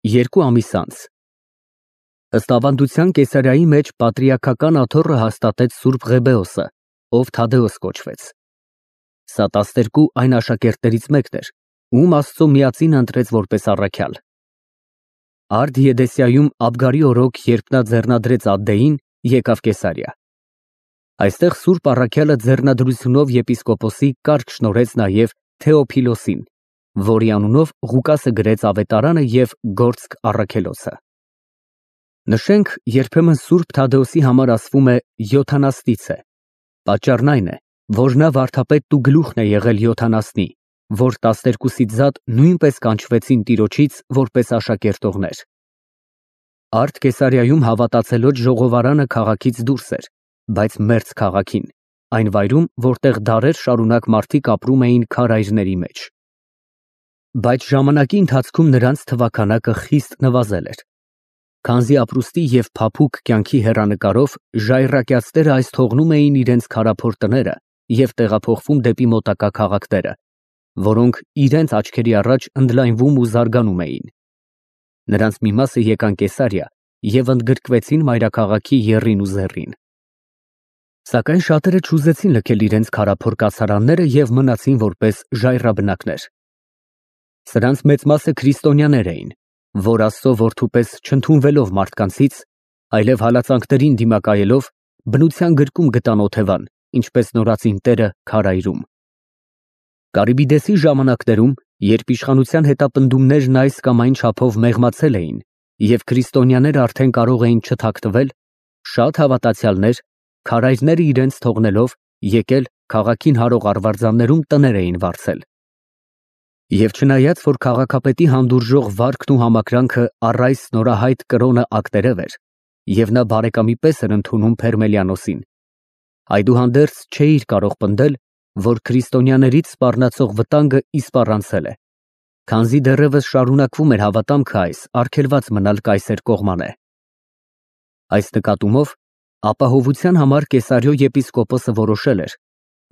2 ամիս անց։ Ըստ ավանդության Կեսարիայի մեջ պատրիարքական աթոռը հաստատեց Սուրբ Ղեբեոսը, ով Թադեոս կոչվեց։ Սա 12 այն աշակերտներից մեկն էր, ում Աստծո միածին ընտրեց որպես առաքյալ։ Արդ Եդեսիայում Աբգարի օրոք, երբ նա ձեռնադրեց Ադդեին, եկավ Կեսարիա։ Այստեղ Սուրբ առաքյալը ձեռնադրությունով եպիսկոպոսի կարգ շնորհեց նաև Թեոփիլոսին, որի անունով Ղուկասը գրեց ավետարանը և գործք առաքելոցը։ Նշենք, երբեմն Սուրբ Թադեոսի համար ասվում է Յոթանաստիցե, պատճառն այն է, որ նա վարդապետն ու գլուխն է եղել Յոթանասնի, որ 12-ից զատ նույնպես կանչվեցին Տիրոջից որպես աշակերտողներ։ Արդ Կեսարիայում հավատացելոց ժողովարանը քաղաքից դուրս էր, բայց մերձ քաղաքին, այն վայրում, որտեղ դարեր շարունակ մարդիկ ապրում էին քարայրների մեջ։ Բայց ժամանակի ընթացքում նրանց թվաքանակը խիստ նվազել էր։ Քանզի ապրուստի և փափուկ կյանքի հեռանկարով ժայռակյացները այս թողնում էին իրենց քարափոր տները և տեղափոխվում դեպի մոտակա քաղաքները, որոնք իրենց աչքերի առաջ ընդլայնվում ու զարգանում էին։ Նրանց մի մասը եկան Կեսարիա և ընդգրկվեցին մայրաքաղաքի եռին ու զեռին։ Սակայն շատերը չուզեցին լքել իրենց քարափոր կացարանները և մնացին որպես ժայռաբնակներ։ Սրանց մեծ մասը քրիստոնյաներ էին, որ Աստծո որդու պես չընդունվելով մարդկանցից, այլև հալածանքներին դիմակայելով, բնության գրկում գտան օթևան, ինչպես նորածին տերը քարայրում։ Կարիբիդեսի ժամանակներում, երբ իշխանության հետապնդումներն այս կամ այն չափով մեղմացել էին և քրիստոնյաները արդեն կարող էին չթաքնվել, շատ հավատացյալներ, քարայրները իրենց թողնելով, եկել քաղաքին հարող արվարձաններում տներ էին վարձել։ Եվ չնայած, որ քաղաքապետի հանդուրժող վարքն ու համակրանքը առ այս նորահայտ կրոնը ակտերև էր, և նա բարեկամի պես էր ընդունում Փերմելիանոսին, այդուհանդերձ չէիր կարող պնդել, որ քրիստոնյաներից սպառնացող վտանգը իսպառանցել է, քանզի դեռևս շարունակվում էր հավատամքը այս արգելված մնալ կայսեր կողմանե։ Այս նկատումով ապահովության համար Կեսարիո եպիսկոպոսը որոշել էր,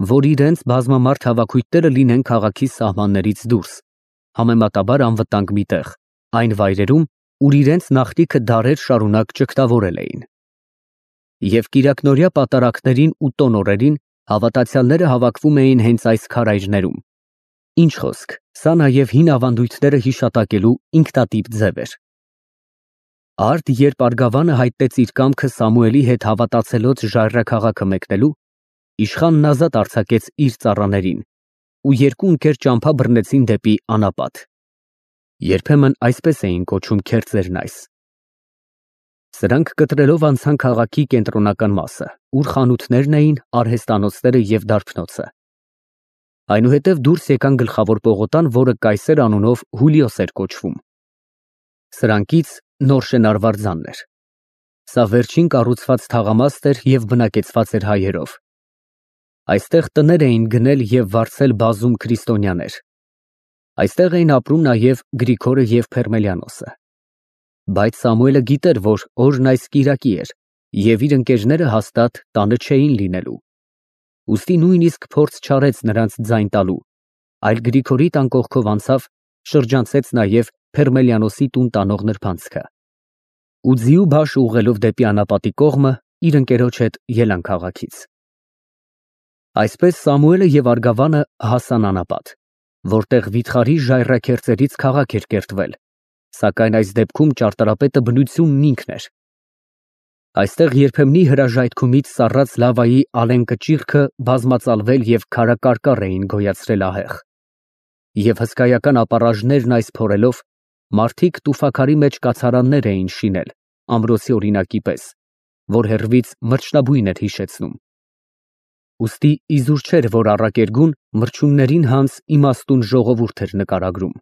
որ իրենց բազմամարդ հավաքույթները լինեն քաղաքի սահմաններից դուրս, համեմատաբար անվտանգ մի տեղ, այն վայրերում, ուր իրենց նախնիքը դարեր շարունակ ճգտավորել էին։ Եվ կիրակնօրյա պատարագներին ու տոնօրերին հավատացյալները հավաքվում էին հենց այս քարայրներում։ Ինչ խոսք, սա նաև հին ավանդույթները հիշատակելու ինքնատիպ ձև էր։ Արդ երբ Արգավանը հայտնեց իր կամքը Սամուելի հետ հավատացելոց ժայռաքաղաքը մեկնելու, իշխանն ազատ արձակեց իր ծառաներին, ու երկու ընկեր ճամփա բռնեցին դեպի անապատ։ Երբեմն այսպես էին կոչում քերծերն այս։ Սրանք կտրելով անցան քաղաքի կենտրոնական մասը, ուր խանութներն էին, արհեստանոցները և դարբնոցը։ Այնուհետև դուրս եկան գլխավոր պողոտան, որը Կայսեր անունով Հուլիոս էր կոչվում։ Սրանքից նոր շենարվարձանն էր։ Սա վերջին կառուցված թաղամաստ էր և բնակեցված էր հայերով։ Այստեղ տներ էին գնել և վարձել բազում քրիստոնյաներ։ Այստեղ էին ապրում նաև Գրիգորը և Փերմելիանոսը։ Բայց Սամուելը գիտեր, որ օրն այս կիրակի էր, և իր ընկերները հաստատ տանը չէին լինելու։ Ուստի նույնիսկ փորձ չարեց նրանց ձայն տալու, այլ Գրիգորի տան կողքով անցավ, շրջանցեց նաև Փերմելիանոսի տուն տանող նրբանցքը։ Ու ձիու բաշ ուղղելով դեպի անապատի կողմը, իր ընկերոջ հետ ելան քաղաքից։ Այսպես Սամուելը և Արգավանը հասան անապատ, որտեղ վիթխարի ժայռաքերծերից քաղաք էր կերտվել, սակայն այս դեպքում ճարտարապետը բնությունն ինքն էր։ Այստեղ երբեմնի հրաժայթքումից սառած լավայի ալենկը ճիռքը բազմածալվել և քարակարկառ էին գոյացրել ահեղ։ Եվ հսկայական ապառաժներն այս փորելով, մարդիկ տուֆաքարի մեջ կացարաններ էին շինել, ամրոցի օրինակի պես, որ հեռվից մրջնաբույն էր հիշեցնում։ Ուստի իզուր չէր, որ առակերգուն մրջյուններին հանց իմաստուն ժողովուրդ էր նկարագրում։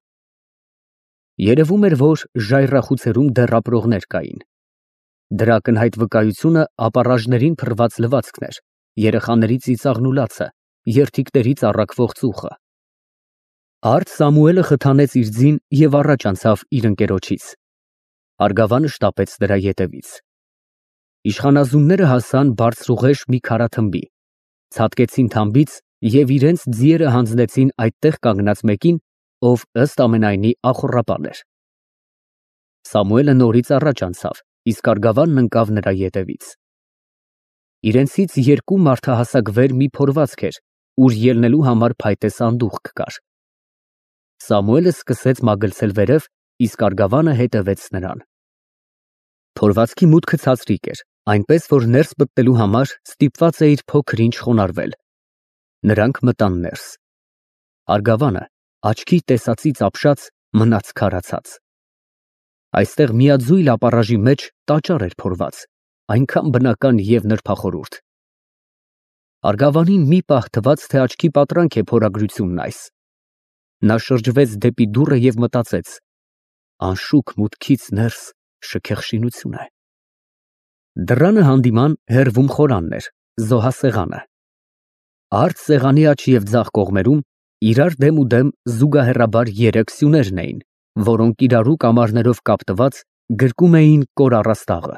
Երևում էր, որ ժայռախուցերում դեռ ապրողներ կային։ Դրա ակնհայտ վկայությունը ապառաժներին փռված լվացքն էր, երեխաների ծիծաղն ու լացը, երդիկներից առաքվող ծուխը։ Արդ Սամուելը խթանեց իր ձին և առաջ անցավ իր ընկերոջից։ Արգավանը շտապեց նրա ետևից։ Իշխանազունները հասան բարձրուղեշ մի քարաթմբի, ցատկեցին թամբից և իրենց ձիերը հանձնեցին այդտեղ կանգնած մեկին, ով ըստ ամենայնի ախոռապան էր։ Սամուելը նորից առաջ անցավ, իսկ Արգավանն ընկավ նրա ետևից։ Իրենցից երկու մարդահասակ վեր մի փորվածք էր, ուր ելնելու համար փայտե սանդուղք կար։ Սամուելը սկսեց մագլցել վերև, իսկ Արգավանը հետևեց նրան։ Փորվածքի մուտքը ցածրիկ էր, այնպես որ ներս մտնելու համար ստիպված էիր փոքր-ինչ խոնարհվել։ Նրանք մտան ներս։ Արգավանը, աչքի տեսածից ապշած, մնաց քարացած։ Այստեղ միաձույլ ապառաժի մեջ տաճար էր փորված, այնքան բնական և նրբախորհուրդ։ Արգավանին մի պահ թվաց, թե աչքի պատրանք է փորագրությունն այս։ Նա շրջվեց դեպի դուռը և մտածեց. անշուք մուտքից ներս շքեղ շինություն է։ Դռանը հանդիման հեռվում խորանն էր, զոհասեղանը։ Արդ սեղանի աջ և ձախ կողմերում իրար դեմուդեմ զուգահեռաբար երեք սյուներն էին, որոնք իրարու կամարներով կապտված գրկում էին կոր առաստաղը։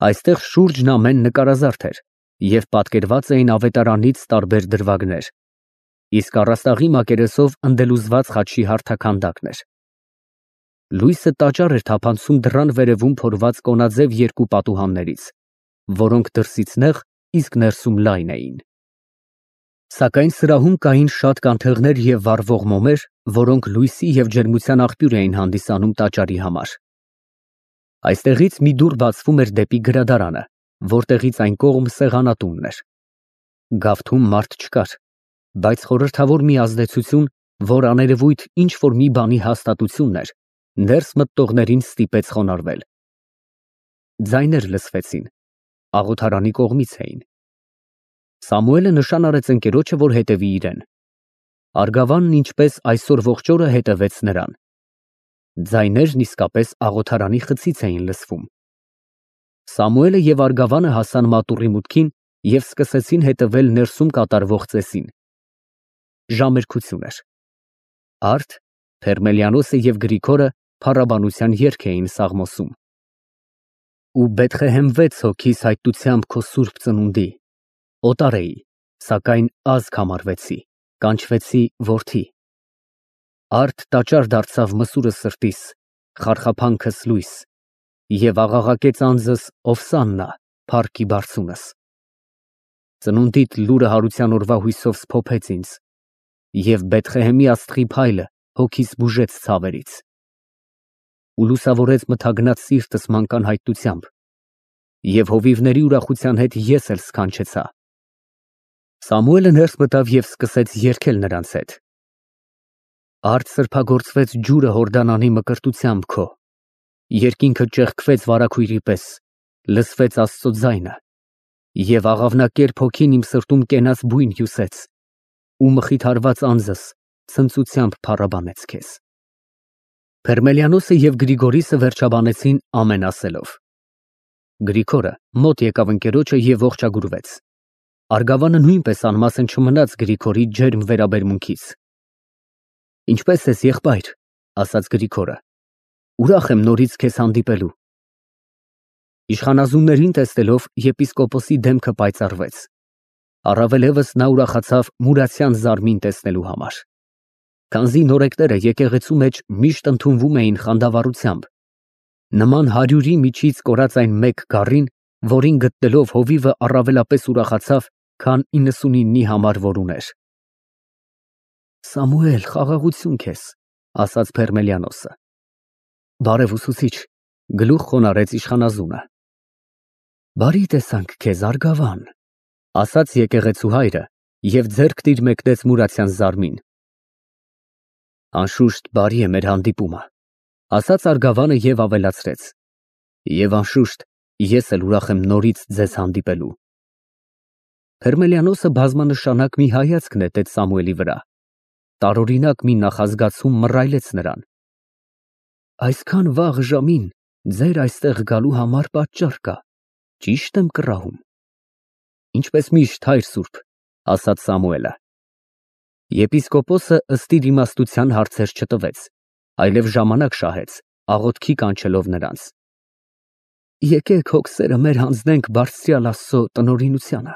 Այստեղ շուրջն ամեն նկարազարդ էր և պատկերված էին ավետարանից տարբեր դրվագներ, իսկ առաստաղի մակերեսով ընդելուզված խաչի հարթաքանդակն էր։ Լույսը տաճար էր թափանցում դռան վերևում փորված կոնաձև երկու պատուհաններից, որոնք դրսից նեղ, իսկ ներսում լայն էին։ Սակայն սրահում կային շատ կանթեղներ և վառվող մոմեր, որոնք լույսի և ջերմության աղբյուր էին հանդիսանում տաճարի համար։ Այստեղից մի դուռ բացվում էր դեպի գրադարանը, որտեղից այն կողմ սեղանատունն էր։ Գավթում մարդ չկար, բայց խորհրդավոր մի ազդեցություն, որ աներևույթ ինչ-որ մի բանի հաստատությունն էր, ներս մտնողներին ստիպեց խոնարհվել։ Ձայներ լսվեցին, աղոթարանի կողմից էին։ Սամուելը նշան արեց ընկերոջը, որ հետևի իրեն։ Արգավանն ինչպես այսօր ողջ օրը հետևեց նրան։ Ձայներն իսկապես աղոթարանի խցից էին լսվում։ Սամուելը և Արգավանը հասան մատուռի մուտքին և սկսեցին հետևել ներսում կատարվող ծեսին։ Ժամերկություն էր։ Արդ, Փերմելիանոսը և Գրիգորը փառաբանության երգ էին սաղմոսում։ Ու Բեթղեհեմ 6 հոգիս հայտնությամբ քո սուրբ ծնունդի, օտար էի, սակայն ազգ համարվեցի, կանչվեցի որդի։ Արդ տաճար դարձավ մսուրս սրտիս, խարխափանքս լույս, և աղաղակեց անձս ովսաննա, փառքի բարձունս։ Ծնունդիդ լուրը հարության օրվա հույսով սփոփեց ինձ, և Բեթղեհեմի աստղի փայլը հոգիս բուժեց ցավերից։ Ու լուսավորեց մթագնած սիրտս մանկան հայտնությամբ, և հովիվների ուրախության հետ ես էլ սքանչեցա։ Սամուելը ներս մտավ և սկսեց երգել նրանց հետ. Արդ սրբագործվեց ջուրը Հորդանանի մկրտությամբ քո, երկինքը ճեղքվեց վարագույրի պես, լսվեց Աստծո ձայնը, և աղավնակերպ հոգին իմ սրտում կենաց բույն հյուսեց, ու մխիթարված անձս ցնծությամբ փառաբանեց քեզ։ Փերմելիանոսը և Գրիգորիսը վերջաբանեցին ամեն ասելով։ Գրիգորը մոտ եկավ ընկերոջը և ողջագուրվեց։ Արգավանը նույնպես անմասն չմնաց Գրիգորի ջերմ վերաբերմունքից։ Ինչպե՞ս ես, եղբայր, ասաց Գրիգորը։ Ուրախ եմ նորից քեզ հանդիպելու։ Իշխանազուններին տեսնելով եպիսկոպոսի դեմքը պայծառվեց։ Առավել ևս նա ուրախացավ Մուրացյան Զարմին տեսնելու համար։ Քանզի նորեկները եկեղեցու մեջ միշտ ընդունվում էին խանդավառությամբ, նման 100-ի միջից կորած այն մեկ գառին, որին գտնելով հովիվը առավելապես ուրախացավ, քան 99-ի համար, որ ուներ։ Սամուել, խաղաղություն քեզ, ասաց Փերմելիանոսը։ Բարև ուսուցիչ, գլուխ խոնարհեց իշխանազունը։ Բարի տեսանք քեզ, Արգավան, ասաց եկեղեցու հայրը և ձեռք տիր մեկնեց Մուրացյան Զարմին։ Անշուշտ բարի է մեր հանդիպումը, ասաց Արգավանը և ավելացրեց. Եվ անշուշտ ես էլ ուրախ եմ նորից ձեզ հանդիպելու։ Փերմելիանոսը բազմանշանակ մի հայացք նետեց Սամուելի վրա։ Տարօրինակ մի նախազգացում մռայլեց նրան։ Այսքան վաղ ժամին ձեր այստեղ գալու համար պատճառ կա, ճի՞շտ եմ կռահում։ Ինչպես միշտ, հայր սուրբ, ասաց Սամուելը։ Եպիսկոպոսը ըստ իր իմաստության հարցեր չտվեց, այլև ժամանակ շահեց, աղոթքի կանչելով նրանց։ Եկեք հոգսերը մեր հանձնենք բարձրյալ Աստծո տնօրինությանը,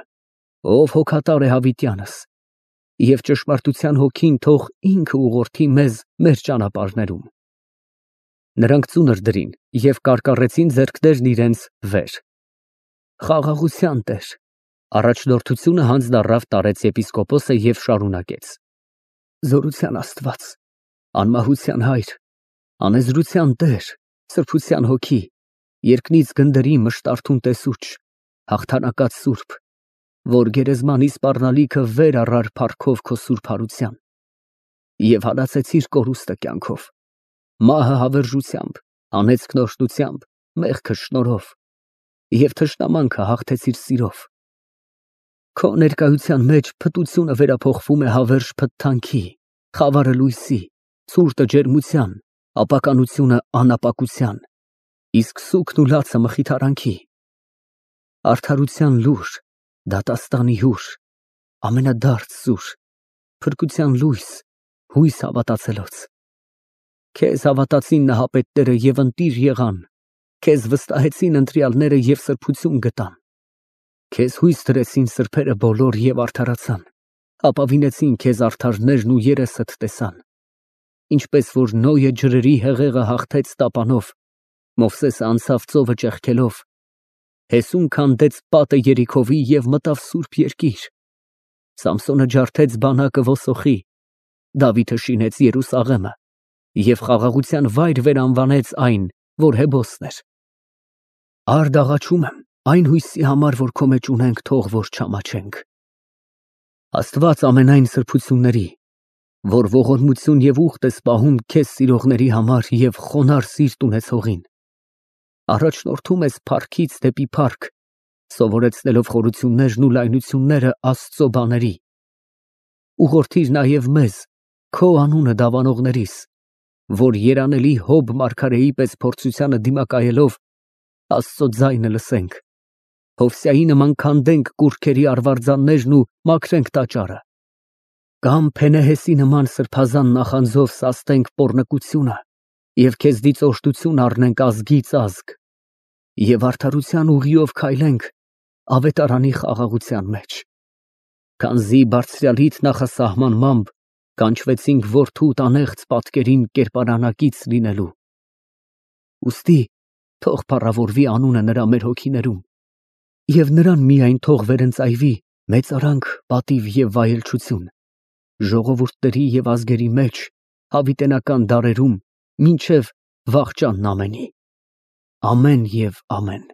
ով հոգատար է հավիտյանս, և ճշմարտության հոգին թող ինքը ուղղորդի մեզ մեր ճանապարհներում։ Նրանք ծունր դրին և կարկառեցին ձեռքներն իրենց վեր։ Խաղաղության տեր։ Առաջնորդությունը հանձնառավ տարեց եպիսկոպոսը և շարունակեց. Զորության Աստված, անմահության հայր, անեզրության տեր, սրբության հոգի, երկնից գնդերի մշտարթուն տեսուչ, հաղթանակած սուրբ, որ գերեզմանի սպառնալիքը վեր առար փառքով քո սուրբ հարության, և հալածեցիր կորուստը կյանքով, մահը հավերժությամբ, անեծքն օրհնությամբ, մեղքը շնորհով, և թշնամանքը հաղթեցիր սիրով։ Քո ներկայության մեջ փտությունը վերափոխվում է հավերժ փթթանքի, խավարը լույսի, ցուրտը ջերմության, ապականությունը անապակության, իսկ սուգն ու լացը մխիթարանքի։ Արդարության լուր, դատաստանի հուր, ամենադարձ սուր, փրկության լույս, հույս հավատացելոց։ Քեզ հավատացին նահապետները և ընտիր եղան, քեզ վստահեցին ընտրյալները և սրբություն գտան։ Քեզ հույս դրեցին սրբերը բոլոր և արդարացան, ապավինեցին քեզ արդարներն ու երեսդ տեսան։ Ինչպես որ Նոյը ջրերի հեղեղը հաղթեց տապանով, Մովսեսը անցավ ծովը ճեղքելով, Հեսուն քանդեց պատը Երիքովի և մտավ սուրբ երկիր, Սամսոնը ջարդեց բանակը ոսոխի, Դավիթը շինեց Երուսաղեմը և խաղաղության վայր վերանվանեց այն, որ Հեբոսն էր։ Արդ աղաչում եմ այն հույսի համար, որ քո մեջ ունենք, թող որ չամաչենք։ Աստված ամենայն սրբությունների, որ ողորմություն և ուխտ ես պահում քեզ սիրողների համար և խոնարհ սիրտ ունեցողին, առաջնորդում ես փառքից դեպի փառք, սովորեցնելով խորություններն ու լայնությունները Աստծո բաների, ուղղորդիր նաև մեզ, քո անունը դավանողներիս, որ երանելի Հոբ մարգարեի պես փորձությանը դիմակայելով Աստծո ձայնը լսենք, Հովսայի նման քանդենք կուռքերի արվարձաններն ու մաքրենք տաճարը, կամ Փենեհեսի նման սրբազան նախանձով սաստենք պոռնկությունը և քեզնից օժտություն առնենք ազգից ազգ և արդարության ուղիով քայլենք ավետարանի խաղաղության մեջ, քանզի բարձրյալիդ նախասահմանմամբ կանչվեցինք որդուդ անեղծ պատկերին կերպարանակից լինելու։ Ուստի թող փառավորվի անունը նրա մեր հոգիներում, և նրան միայն թող վերընծայվի մեծարանք, պատիվ և վայելչություն, ժողովուրդների և ազգերի մեջ, հավիտենական դարերում, մինչև վախճանն ամենի։ Ամեն և ամեն։